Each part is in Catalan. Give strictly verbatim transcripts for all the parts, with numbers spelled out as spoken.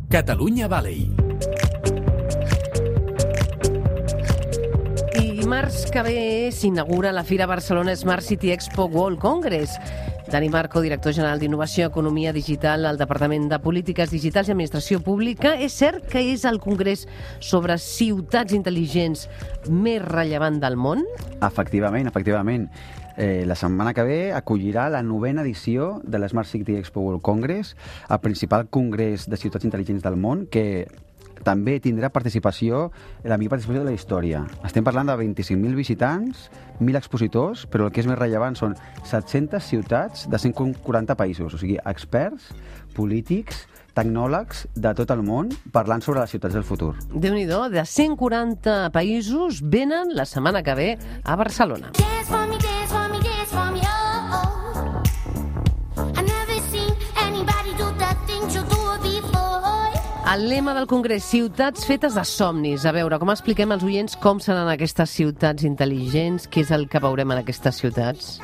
Catalunya Valley. I dimarts que ve s'inaugura la Fira Barcelona Smart City Expo World Congress. Dani Marco, director general d'Innovació i Economia Digital al Departament de Polítiques Digitals i Administració Pública. És cert que és el congrés sobre ciutats intel·ligents més rellevant del món? Efectivament, efectivament. Eh, la setmana que ve acollirà la novena edició de la Smart City Expo World Congress, el principal congrés de ciutats intel·ligents del món, que també tindrà participació, la millor participació de la història. Estem parlant de vint-i-cinc mil visitants, mil expositors, però el que és més rellevant són set-centes ciutats de cent quaranta països, o sigui, experts, polítics, tecnòlegs de tot el món parlant sobre les ciutats del futur. Déu-n'hi-do, de cent quaranta països venen la setmana que ve a Barcelona. El lema del congrés, ciutats fetes de somnis. A veure, com expliquem als oients com seran aquestes ciutats intel·ligents? Què és el que veurem en aquestes ciutats?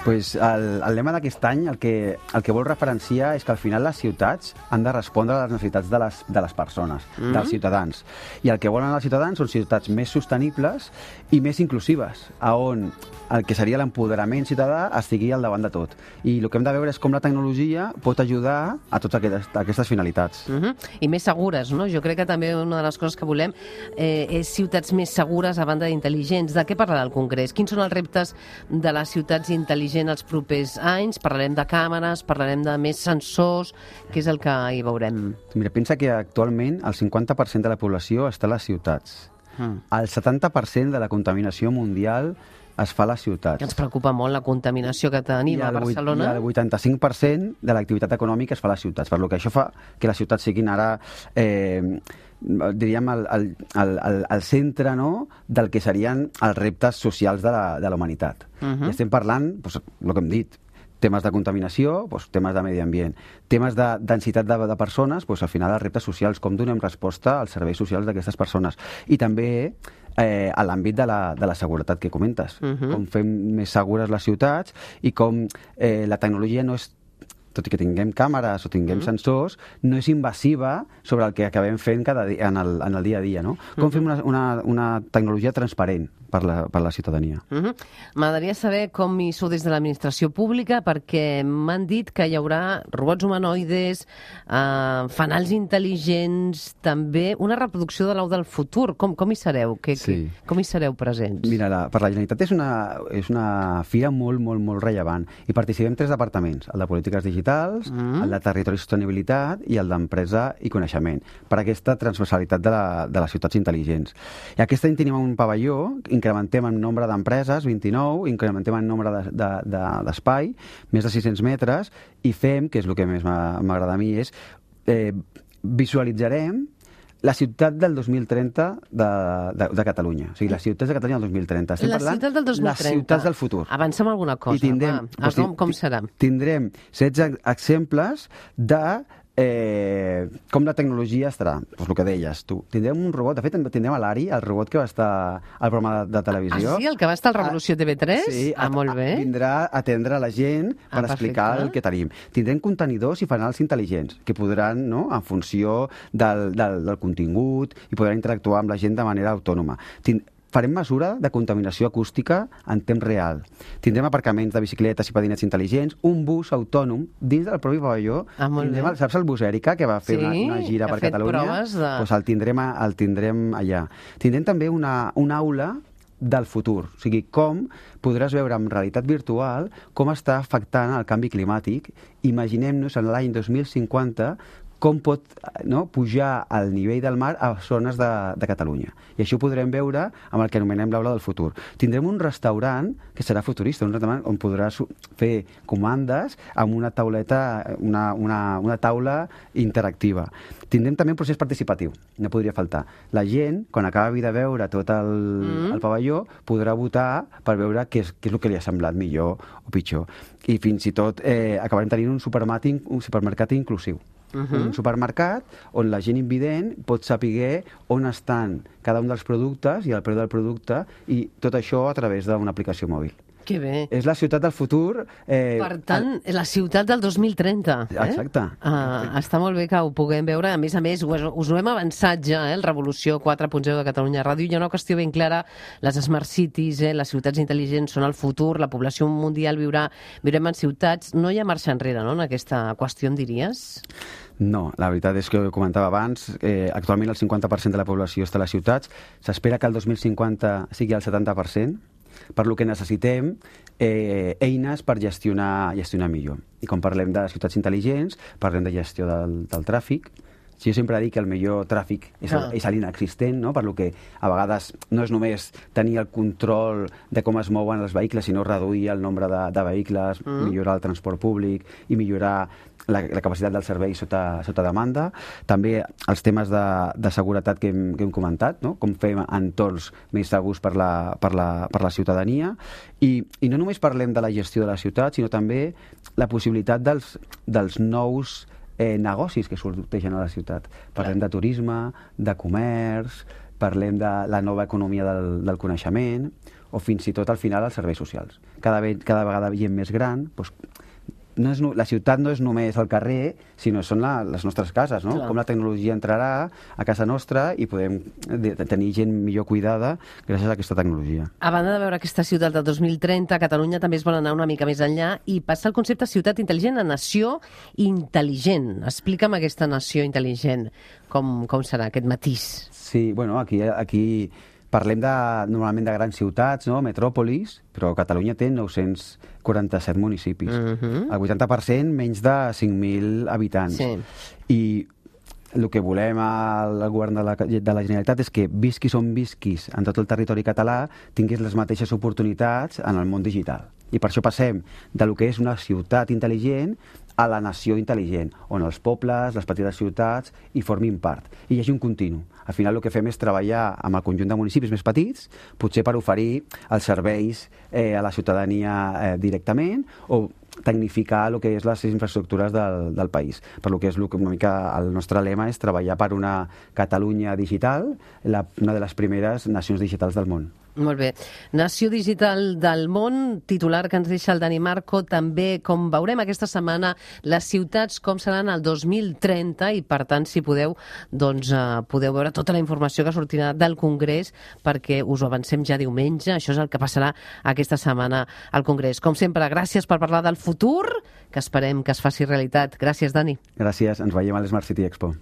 Pues el, el lema d'aquest any el que, el que vol referenciar és que al final les ciutats han de respondre a les necessitats de les, de les persones, mm. dels ciutadans. I el que volen els ciutadans són ciutats més sostenibles i més inclusives, on el que seria l'empoderament ciutadà estigui al davant de tot. I el que hem de veure és com la tecnologia pot ajudar a totes aquestes, a aquestes finalitats. Mm-hmm. I més segures, no? Jo crec que també una de les coses que volem eh, és ciutats més segures a banda d'intel·ligents. De què parlarà el congrés? Quins són els reptes de les ciutats intel·ligents els propers anys? Parlarem de càmeres, parlarem de més sensors. Què és el que hi veurem? Mira, pensa que actualment el cinquanta per cent de la població està a les ciutats. Mm. El setanta per cent de la contaminació mundial es fa a les ciutats. Que ens preocupa molt la contaminació que tenim a Barcelona. I el vuitanta-cinc per cent de l'activitat econòmica es fa a les ciutats, per lo que això fa que les ciutats siguin ara, eh, diríem, el, el, el, el centre, no?, del que serien els reptes socials de la, de la humanitat. Uh-huh. I estem parlant, doncs, el que hem dit, temes de contaminació, doncs, temes de medi ambient, temes de densitat de, de persones, doncs, al final els reptes socials, com donem resposta als serveis socials d'aquestes persones. I també eh, a l'àmbit de, la, de la seguretat que comentes, uh-huh. com fem més segures les ciutats i com eh, la tecnologia no és, tot i que tinguem càmeres o tinguem uh-huh. sensors, no és invasiva sobre el que acabem fent cada dia, en, el, en el dia a dia, no? Com uh-huh. fem una, una, una tecnologia transparent per la, per la ciutadania. Uh-huh. M'agradaria saber com hi sou des de l'administració pública, perquè m'han dit que hi haurà robots humanoides, eh, fanals intel·ligents, també una reproducció de l'au del futur. Com, com hi sereu? Que, sí. que, com hi sereu presents? Mira, la, per la Generalitat és una, és una fira molt, molt, molt rellevant. I participem tres departaments, el de polítiques digitals, uh-huh. el de territori i sostenibilitat i el d'empresa i coneixement, per aquesta transversalitat de, la, de les ciutats intel·ligents. I aquest any tenim un pavelló, incrementem en nombre d'empreses, vint-i-nou, incrementem en nombre d'espai, de, de, més de sis-cents metres, i fem, que és el que més m'agrada a mi, és eh, visualitzarem la ciutat del dos mil trenta de, de, de Catalunya. O sigui, les ciutats de Catalunya del dos mil trenta. Estem la parlant ciutat del dos mil trenta. Les ciutats del futur. Avancem alguna cosa. I tindrem, va. Ah, com, com serà? Tindrem setze exemples de Eh, com la tecnologia estarà, doncs el que deies tu. Tindrem un robot, de fet tindrem a l'Ari, el robot que va estar al programa de, de televisió. Ah, sí? El que va estar al Revolució T V tres? Sí, ah, a, molt bé. A, vindrà a atendre la gent per ah, explicar perfecte. el que tenim. Tindrem contenidors i fanals intel·ligents que podran, no?, en funció del, del, del contingut, i podran interactuar amb la gent de manera autònoma. Tind Farem mesura de contaminació acústica en temps real. Tindrem aparcaments de bicicletes i patinets intel·ligents, un bus autònom dins del propi pavelló. Ah, tindrem, saps el bus Èrica, que va fer sí, una, una gira per Catalunya? De... Pues el, tindrem, el tindrem allà. Tindrem també una, una aula del futur, o sigui, com podràs veure en realitat virtual com està afectant el canvi climàtic. Imaginem-nos en l'any dos mil cinquanta com pot, no, pujar el nivell del mar a zones de, de Catalunya. I això ho podrem veure amb el que anomenem l'aula del futur. Tindrem un restaurant que serà futurista, un restaurant on podràs fer comandes amb una tauleta, una, una, una taula interactiva. Tindrem també un procés participatiu, no podria faltar. La gent, quan acabi de veure tot el, mm. el pavelló, podrà votar per veure què és, què és el que li ha semblat millor o pitjor. I fins i tot eh, acabarem tenint un supermercat, un supermercat inclusiu. Uh-huh. Un supermercat on la gent invident pot saber on estan cada un dels productes i el preu del producte, i tot això a través d'una aplicació mòbil. Que bé. És la ciutat del futur. Eh, per tant, el... la ciutat del dos mil trenta. Eh? Exacte. Uh, està molt bé que ho puguem veure. A més a més, us, us ho hem avançat ja, eh? el Revolució quatre punt zero de Catalunya Ràdio. Hi ha una qüestió ben clara. Les smart cities, eh? les ciutats intel·ligents són el futur, la població mundial viurà, viurem en ciutats. No hi ha marxa enrere, no?, en aquesta qüestió, em diries? No, la veritat és que ho comentava abans, eh, actualment el cinquanta per cent de la població està a les ciutats, s'espera que el dos mil cinquanta sigui el setanta per cent, per lo que necessitem eh, eines per gestionar, gestionar millor. I quan parlem de ciutats intel·ligents, parlem de gestió del, del tràfic. Si jo sempre dic que el millor tràfic és, ah. és l'inexistent, no? Per lo que a vegades no és només tenir el control de com es mouen els vehicles, sinó reduir el nombre de, de vehicles, mm. millorar el transport públic i millorar la, la capacitat del servei sota, sota demanda. També els temes de, de seguretat que hem, que hem comentat, no? Com fem entorns més segurs per la, per la, per la ciutadania. I, I no només parlem de la gestió de la ciutat, sinó també la possibilitat dels, dels nous Eh, negocis que sorteixen a la ciutat. Parlem de turisme, de comerç, parlem de la nova economia del, del coneixement o fins i tot al final els serveis socials. Cada, cada vegada gent més gran, doncs, no és, la ciutat no és només el carrer, sinó són la, les nostres cases, no? Clar. Com la tecnologia entrarà a casa nostra i podem de, de tenir gent millor cuidada gràcies a aquesta tecnologia. A banda de veure aquesta ciutat del dos mil trenta, Catalunya també es vol anar una mica més enllà i passa el concepte ciutat intel·ligent a nació intel·ligent. Explica'm aquesta nació intel·ligent, com, com serà aquest matís. Sí, bueno, aquí... aquí parlem de, normalment de grans ciutats, no? Metròpolis, però Catalunya té nou-cents quaranta-set municipis. Uh-huh. El vuitanta per cent menys de cinc mil habitants. Sí. I el que volem al govern de la, de la Generalitat és que visquis on visquis en tot el territori català tinguis les mateixes oportunitats en el món digital. I per això passem de lo que és una ciutat intel·ligent a la nació intel·ligent, on els pobles, les petites ciutats hi formin part. I hi hagi un continu. Al final el que fem és treballar amb el conjunt de municipis més petits, potser per oferir els serveis eh, a la ciutadania eh, directament o tecnificar el que és les infraestructures del, del país. Per lo que és una mica el nostre lema és treballar per una Catalunya digital, la, una de les primeres nacions digitals del món. Molt bé. Nació digital del món, titular que ens deixa el Dani Marco, també com veurem aquesta setmana les ciutats com seran el dos mil trenta i per tant si podeu doncs uh, podeu veure tota la informació que sortirà del Congrés perquè us ho avancem ja diumenge, això és el que passarà aquesta setmana al Congrés. Com sempre, gràcies per parlar del futur, que esperem que es faci realitat. Gràcies, Dani. Gràcies, ens veiem a l'Smart City Expo.